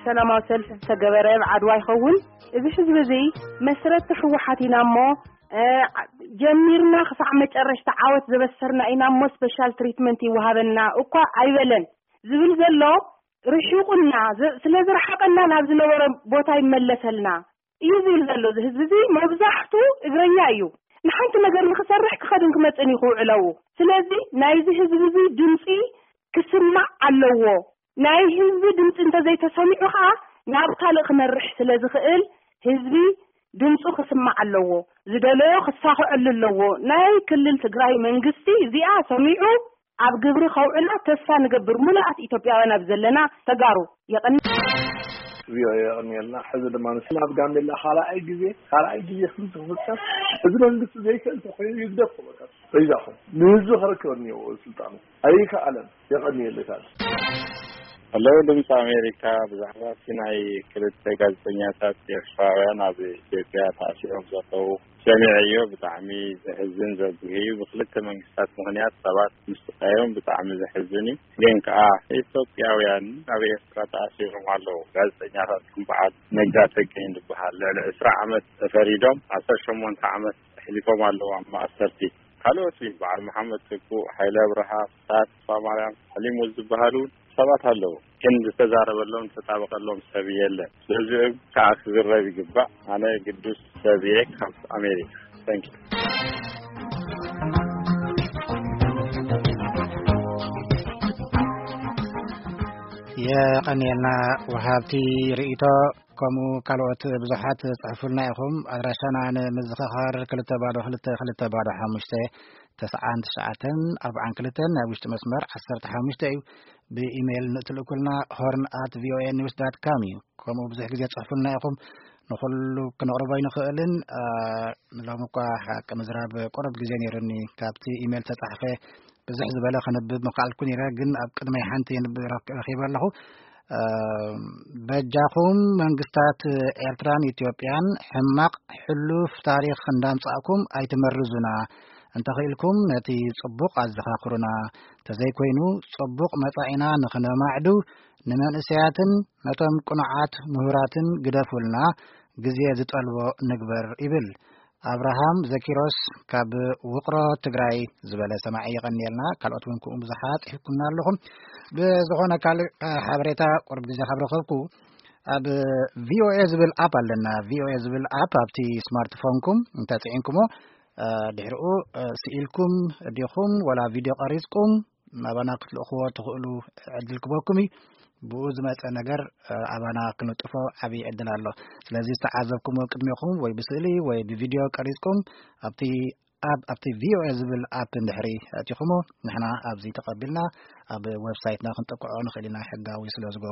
ሰላማዊ ሰልፊ ዝተገበረ ኣብ ዓድዋ ይኸውን። እዚ ህዝቢ እዚ መስረቲ ህወሓት ኢና እሞ፣ እ፣ ጀሚርና ክሳዕ መጨረሽታ ዓወት ዘበሰርና ኢና እሞ፣ ስፔሻል ትሪትመንት ይወሃበና እኳ ኣይበለን። ዝብል ዘሎ ርሒቑና፣ ዝ-፣ ስለ ዝረሓቐና ናብ ዝነበረ ቦታ ይመለሰልና እዩ ዝብል ዘሎ። እዚ ህዝቢ እዚ መብዛሕቱ እግረኛ እዩ። ንሓንቲ ነገር ንክሰርሕ ክኸድን ክመፅን እዩ ክውዕለው። ስለዚ ናይዚ ህዝቢ እዚ ድምፂ ክስማዕ ኣለዎ። ናይ ህዝቢ ድምፂ እንተዘይተሰሚዑ ከዓ ናብ ካልእ ክመርሕ ስለ ዝኽእል ህዝቢ ድምፁ ክስማዕ ኣለዎ። ዝደለዮ ክሳኽዐሉ ኣለዎ። ናይ ክልል ትግራይ መንግስቲ እዚኣ ሰሚዑ ኣብ ግብሪ ከውዕላ ተስፋ ንገብር። ሙሉኣት ኢትዮጵያውያን ኣብ ዘለና ተጋሩ የቐኒ። ቪኦኤ የቐንየልና። ሕዚ ድማ ንስ ናብ ጋምቤላ ካልኣይ ግዜ፣ ካልኣይ ግዜ ከም ዝፍጸም፣ እዚ መንግስቲ ዘይክእል ተኮይኑ ይግደፍ፣ በቃ በይዛኹም። ንህዝቢ ክረክብ እኒኦ ስልጣኑ። ኣይከኣለን። የቐንየልካ። ሄሎ፣ ድምፂ ኣሜሪካ፣ ብዛዕባ እቲ ናይ ክልተ ጋዜጠኛታት ኤርትራውያን ኣብ ኢትዮጵያ ተኣሲሮም ዘለዉ ሰሚዐዮ። ብጣዕሚ ዘሕዝን ዘጉሂ እዩ። ብክልተ መንግስታት ምኽንያት ሰባት ምስቃዮም ብጣዕሚ ዘሕዝን እዩ። ግን ከዓ ኢትዮጵያውያን ኣብ ኤርትራ ተኣሲሮም ኣለዉ። ጋዜጠኛታት ከም በዓል ነጋ ተገኝ ዝበሃል ልዕሊ ዕስራ ዓመት ተፈሪዶም ዓሰርተ ሸሞንተ ዓመት ኣሕሊፎም ኣለዉ ኣብ ማእሰርቲ። ካልኦት በዓል መሓመድ ትኩእ፣ ሓይለ ኣብርሃ፣ ፍስሃ ተስፋማርያም፣ ሓሊሙ ዝበሃሉ ሰባት ኣለዉ። ግን ዝተዛረበሎም፣ ዝተጣበቀሎም ሰብ የለን። ስለዚኦም ከዓ ክዝረብ ይግባእ። ኣነ ግዱስ ሰብ እየ ካብ ኣሜሪካ። Thank you። የቐንየልና ወሃብቲ ርእይቶ፣ ከምኡ ካልኦት ብዙሓት ጽሕፉልና ኢኹም። ኣድራሻና ንምዝኽኻር ክልተ ባዶ ክልተ ክልተ ባዶ ሓሙሽተ ተስዓን ትሽዓተን ኣርባዓን ክልተን፣ ናይ ውሽጢ መስመር ዓሰርተ ሓሙሽተ እዩ። ብኢሜይል ንእትልእኩልና ሆርን ኣት ቪኦኤ ኒውስ ዳት ካም እዩ። ከምኡ ብዙሕ ግዜ ጽሕፉልና ኢኹም። ንኹሉ ክነቕርቦ ኣይንኽእልን። አ፣ ሎሚ እኳ ሓቂ ምዝራብ ቁሩብ ግዜ ነይሩኒ። ካብቲ ኢሜይል ተጻሕፈ ብዝሕ ዝበለ ከንብብ ምኽኣልኩ ነይረ፣ ግን ኣብ ቅድመይ ሓንቲ የንብ-፣ ረክ-፣ ረኺበ ኣለኹ። አ፣ በጃኹም መንግስታት ኤርትራን ኢትዮጵያን ሕማቕ ሕሉፍ ታሪኽ እንዳምጻእኩም ኣይትመርዙና። እንተኽኢልኩም ነቲ ጽቡቕ ኣዘኻኽሩና። ተዘይኮይኑ ጽቡቕ መጻኢና ንኽነማዕዱ ንመንእሰያትን ነቶም ቅኑዓት ምሁራትን ግደፉልና፣ ግዜ ዝጠልቦ ንግበር ይብል ኣብርሃም ዘኪሮስ ካብ ውቕሮ ትግራይ ዝበለ ሰማዒ። የቐንየልና። ካልኦት እውን ከምኡ ብዙሓት ጽሒፍኩምና ኣለኹም። ብዝኾነ ካልእ ሓበሬታ ቁሩብ ግዜ ካብ ረኸብኩ ኣብ ቪኦኤ ዝብል ኣፕ ኣለና። ቪኦኤ ዝብል ኣፕ ኣብቲ ስማርትፎንኩም እንተጽዒንኩሞ፣ እ፣ ድሕሪኡ፣ እ፣ ስኢልኩም ዲኹም ወላ ቪድዮ ቀሪጽኩም ናባና ክትልእኽዎ ትኽእሉ ዕድል ክበኩም እዩ። ብኡ ዝመጸ ነገር፣ እ፣ ኣባና ክንጥፎ ዓብዪ ዕድል ኣሎ። ስለዚ ዝተዓዘብኩሞ ቅድሜኹም ወይ ብስእሊ ወይ ብቪድዮ ቀሪጽኩም ኣብቲ ኣብ፣ ኣብቲ ቪኦኤ ዝብል ኣፕ እንድሕሪ ኣእቲኹሞ ንሕና ኣብዚ ተቐቢልና ኣብ ዌብሳይትና ክንጥቅዖ ንኽእል ኢና፣ ሕጋዊ ስለ ዝገብሮ።